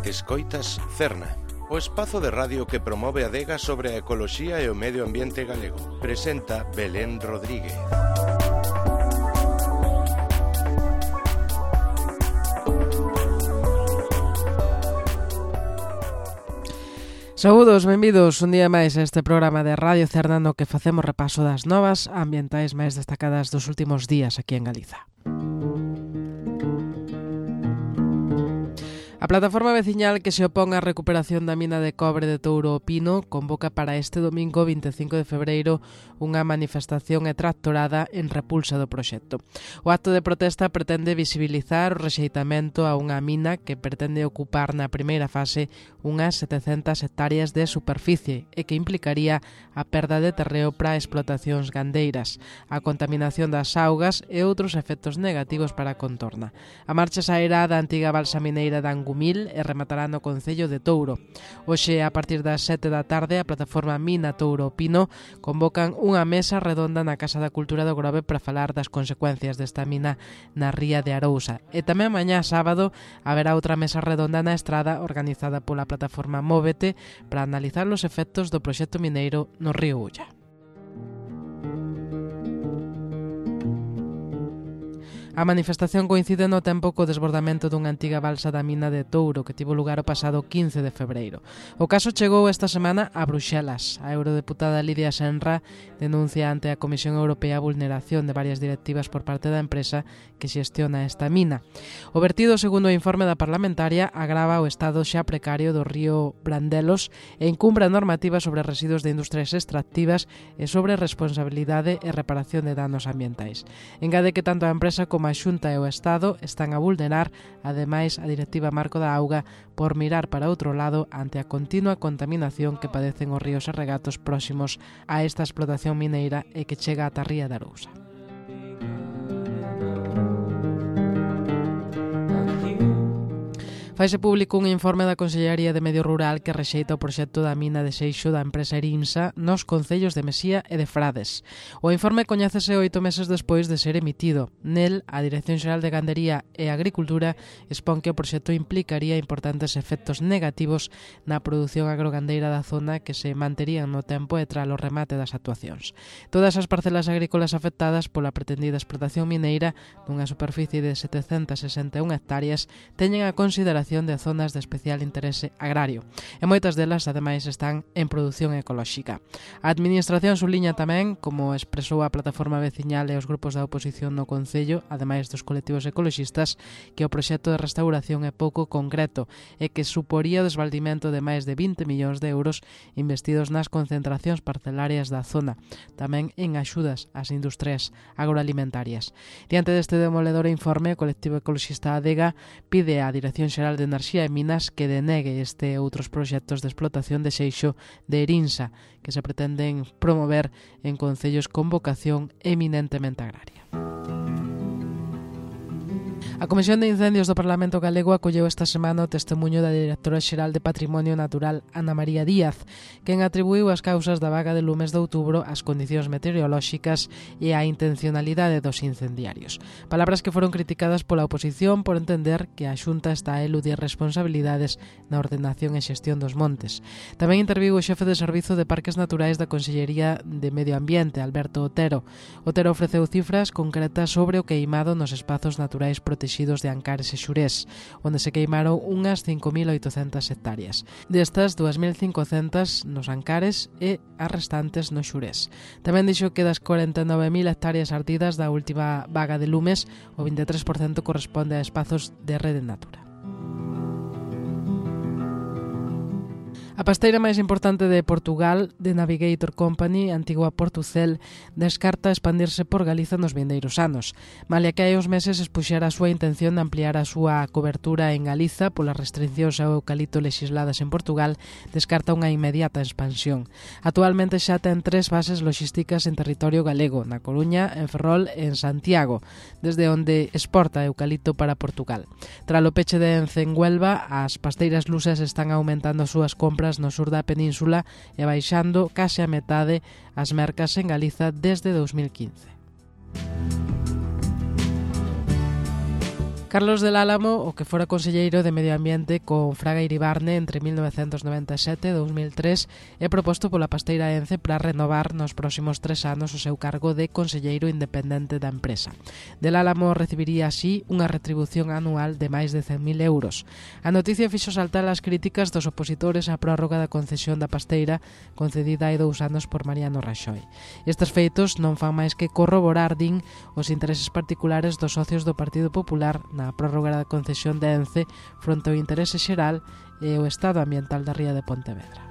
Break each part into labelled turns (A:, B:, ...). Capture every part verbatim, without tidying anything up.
A: Escoitas Cerna, o espazo de radio que promove a adega sobre a ecoloxía e o medio ambiente galego. Presenta Belén Rodríguez.
B: Saúdos, benvidos un día máis a este programa de Radio Cerna no que facemos repaso das novas ambientais máis destacadas dos últimos días aquí en Galiza. A plataforma veciñal que se opón á recuperación da mina de cobre de Touro o Pino convoca para este domingo vinte e cinco de febreiro unha manifestación e tractorada en repulsa do proxecto. O acto de protesta pretende visibilizar o rexeitamento a unha mina que pretende ocupar na primeira fase unhas setecentas hectáreas de superficie e que implicaría a perda de terreo para explotacións gandeiras, a contaminación das augas e outros efectos negativos para a contorna. A marcha sairá da antiga balsa mineira de Angumil e rematará no concello de Touro. Hoxe, a partir das sete da tarde, a plataforma Mina Touro Pino convocan unha mesa redonda na Casa da Cultura do Grove para falar das consecuencias desta mina na ría de Arousa. E tamén mañá sábado haberá outra mesa redonda na Estrada organizada pola plataforma Móvete para analizar os efectos do proxecto mineiro no río Ulla. A manifestación coincide no tempo co desbordamento dunha antiga balsa da mina de Touro que tivo lugar o pasado quince de febreiro. O caso chegou esta semana a Bruxelas. A eurodeputada Lidia Senra denuncia ante a Comisión Europea a vulneración de varias directivas por parte da empresa que xestiona esta mina. O vertido, segundo o informe da parlamentaria, agrava o estado xa precario do río Brandelos e incumbra a normativa sobre residuos de industrias extractivas e sobre responsabilidade e reparación de danos ambientais. Engade que tanto a empresa como a Xunta e o Estado están a vulnerar, ademais, a Directiva Marco da Auga por mirar para outro lado ante a continua contaminación que padecen os ríos e regatos próximos a esta explotación mineira e que chega ata a ría de Arousa. Faise público un informe da Consellería de Medio Rural que rexeita o proxecto da mina de Seixo da empresa Erinsa nos concellos de Mesía e de Frades. O informe coñécese oito meses despois de ser emitido. Nel, a Dirección Xeral de Gandería e Agricultura expón que o proxecto implicaría importantes efectos negativos na produción agrogandeira da zona que se manterían no tempo e tras o remate das actuacións. Todas as parcelas agrícolas afectadas pola pretendida explotación mineira dunha superficie de setecentas sesenta e unha hectáreas teñen a consideración de zonas de especial interese agrario e moitas delas ademais están en produción ecolóxica. A Administración subliña tamén, como expresou a plataforma veciñal e os grupos da oposición no Concello, ademais dos colectivos ecoloxistas, que o proxecto de restauración é pouco concreto e que suporía o desvaldimento de máis de vinte millóns de euros investidos nas concentracións parcelarias da zona, tamén en axudas ás industrias agroalimentarias. Diante deste demoledor informe, o colectivo ecoloxista Adega pide á Dirección Xeral de Enerxía e Minas que denegue este e outros proxectos de explotación de Seixo de Erinsa que se pretenden promover en concellos con vocación eminentemente agraria. A Comisión de Incendios do Parlamento Galego acolleu esta semana o testemuño da Directora Xeral de Patrimonio Natural, Ana María Díaz, quen atribuiu as causas da vaga de lumes de outubro ás condicións meteorolóxicas e á intencionalidade dos incendiarios. Palabras que foron criticadas pola oposición por entender que a Xunta está a eludir responsabilidades na ordenación e xestión dos montes. Tamén interviu o xefe de Servizo de Parques Naturais da Consellería de Medio Ambiente, Alberto Otero. Otero ofreceu cifras concretas sobre o queimado nos espazos naturais protegidos de Ancares e Xurés, onde se queimaron unhas cinco mil oitocentas hectáreas. Destas, dúas mil cincocentas nos Ancares e as restantes no Xurés. Tamén dixo que das corenta e nove mil hectáreas ardidas da última vaga de lumes, o vinte e tres por cento corresponde a espazos de Rede Natura. A pasteira máis importante de Portugal, The Navigator Company, antigua Portucel, descarta expandirse por Galiza nos vindeiros anos. Malia que hai uns meses expuxera a súa intención de ampliar a súa cobertura en Galiza polas restriccións ao eucalipto legisladas en Portugal, descarta unha inmediata expansión. Actualmente xa ten tres bases logísticas en territorio galego, na Coruña, en Ferrol e en Santiago, desde onde exporta eucalipto para Portugal. Tras o peche de Ence en Huelva, as pasteiras lusas están aumentando as súas compras no sur da península e baixando case a metade as mercas en Galiza desde dous mil quince. Carlos del Álamo, o que fora conselleiro de Medio Ambiente con Fraga Iribarne entre mil novecentos noventa e sete e dous mil tres, é proposto pola Pasteira Ence para renovar nos próximos tres anos o seu cargo de conselleiro independente da empresa. Del Álamo recibiría así unha retribución anual de máis de cen mil euros. A noticia fixo saltar as críticas dos opositores á prórroga da concesión da Pasteira concedida hai dous anos por Mariano Raxoi. Estes feitos non fan máis que corroborar, din, os intereses particulares dos socios do Partido Popular na prórroga da concesión de Ence fronte ao interese xeral e o estado ambiental da ría de Pontevedra.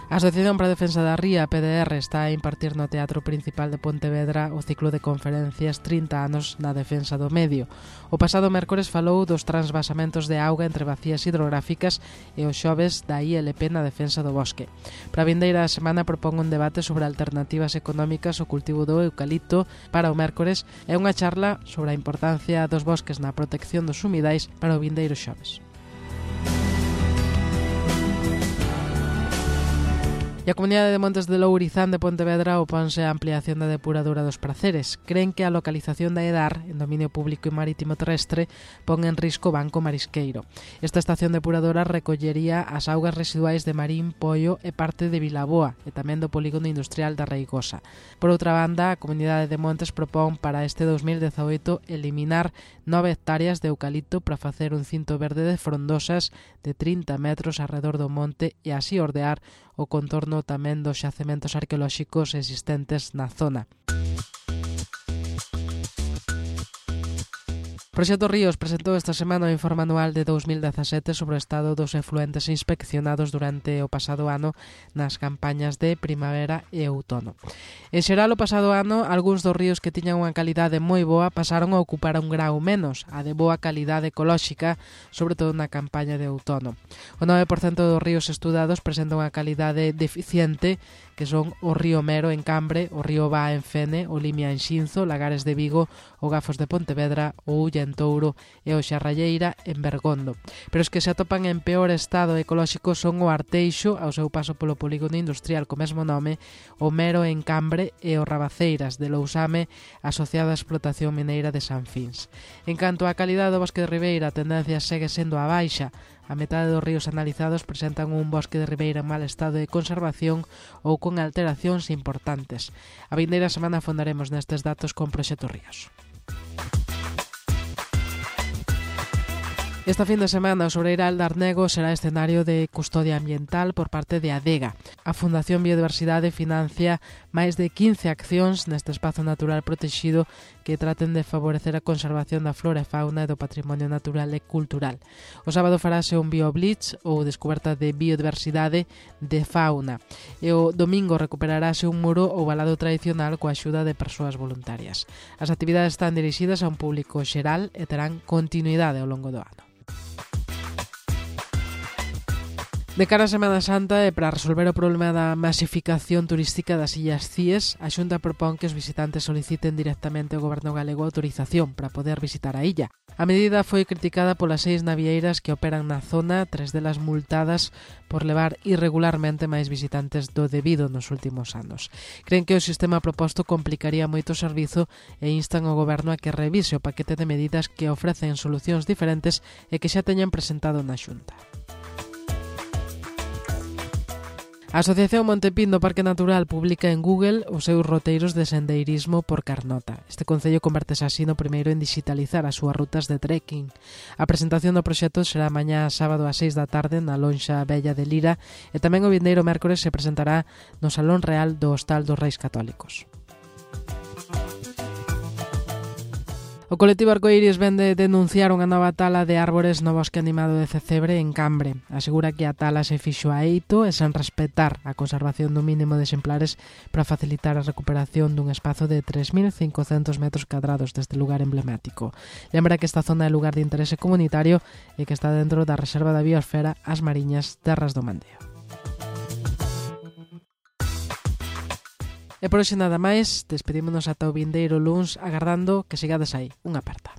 B: A Asociación para a Defensa da Ría, a P D R, está a impartir no Teatro Principal de Pontevedra o ciclo de conferencias trinta anos na defensa do medio. O pasado mércores falou dos transvasamentos de auga entre bacías hidrográficas e os xoves da I L P na defensa do bosque. Para a vindeira semana propón un debate sobre alternativas económicas ao cultivo do eucalipto para o mércores e unha charla sobre a importancia dos bosques na protección dos humidais para o vindeiro xoves. E a Comunidade de Montes de Lourizán de Pontevedra oponse á ampliación da depuradora dos Praceres. Creen que a localización da EDAR, en dominio público e marítimo terrestre, pon en risco o banco marisqueiro. Esta estación depuradora recollería as augas residuais de Marín, Poio e parte de Vilaboa e tamén do polígono industrial da Reigosa. Por outra banda, a Comunidade de Montes propón para este dos mil dezaoito eliminar nove hectáreas de eucalipto para facer un cinto verde de frondosas de trinta metros alrededor do monte e así ordear o contorno tamén dos xacementos arqueolóxicos existentes na zona. Proxecto Ríos presentou esta semana o informe anual de dous mil dezasete sobre o estado dos efluentes inspeccionados durante o pasado ano nas campañas de primavera e outono. En xeral, o pasado ano, algúns dos ríos que tiñan unha calidade moi boa pasaron a ocupar un grau menos, a de boa calidade ecolóxica, sobre todo na campaña de outono. O nove por cento dos ríos estudados presentan unha calidade deficiente, que son o río Mero en Cambre, o río Ba en Fene, o Limia en Xinzo, Lagares de Vigo, o Gafos de Pontevedra, o Ulla en Touro e o Xarralleira en Bergondo. Pero os que se atopan en peor estado ecolóxico son o Arteixo, ao seu paso polo polígono industrial co mesmo nome, o Mero en Cambre e o Rabaceiras de Lousame, asociado á explotación mineira de San Fins. En canto á calidade do bosque de Ribeira, a tendencia segue sendo a baixa. A metade dos ríos analizados presentan un bosque de ribeira en mal estado de conservación ou con alteracións importantes. A vindeira semana afondaremos nestes datos con Proxecto Ríos. Esta fin de semana o Sobreiral de Arnego será escenario de custodia ambiental por parte de Adega. A Fundación Biodiversidade financia máis de quince accións neste espazo natural protexido que traten de favorecer a conservación da flora e fauna e do patrimonio natural e cultural. O sábado farase un BioBlitz ou descoberta de biodiversidade de fauna e o domingo recuperarase un muro ou valado tradicional coa axuda de persoas voluntarias. As actividades están dirixidas a un público xeral e terán continuidade ao longo do ano. De cara a Semana Santa e para resolver o problema da masificación turística das Illas Cíes, a Xunta propón que os visitantes soliciten directamente ao Goberno galego autorización para poder visitar a illa. A medida foi criticada polas seis navieiras que operan na zona, tres delas multadas por levar irregularmente máis visitantes do debido nos últimos anos. Creen que o sistema proposto complicaría moito o servizo e instan ao Goberno a que revise o paquete de medidas que ofrecen solucións diferentes e que xa teñan presentado na Xunta. A Asociación Montepín do Parque Natural publica en Google os seus roteiros de sendeirismo por Carnota. Este concello convertese así no primeiro en digitalizar as súas rutas de trekking. A presentación do proxecto será mañá sábado ás seis da tarde na Lonxa Bella de Lira e tamén o vindeiro mércores se presentará no Salón Real do Hostal dos Reis Católicos. O colectivo Arcoiris vende denunciar unha nova tala de árbores no bosque animado de Cecebre en Cambre. Asegura que a tala se fixo a eito e sen respetar a conservación dun mínimo de exemplares para facilitar a recuperación dun espazo de tres mil cincocentos metros cadrados deste lugar emblemático. Lembra que esta zona é lugar de interese comunitario e que está dentro da Reserva da Biosfera As Mariñas Terras do Mandeo. E por hoxe nada máis, despedímonos ata o vindeiro luns agardando que sigades aí. Unha aperta.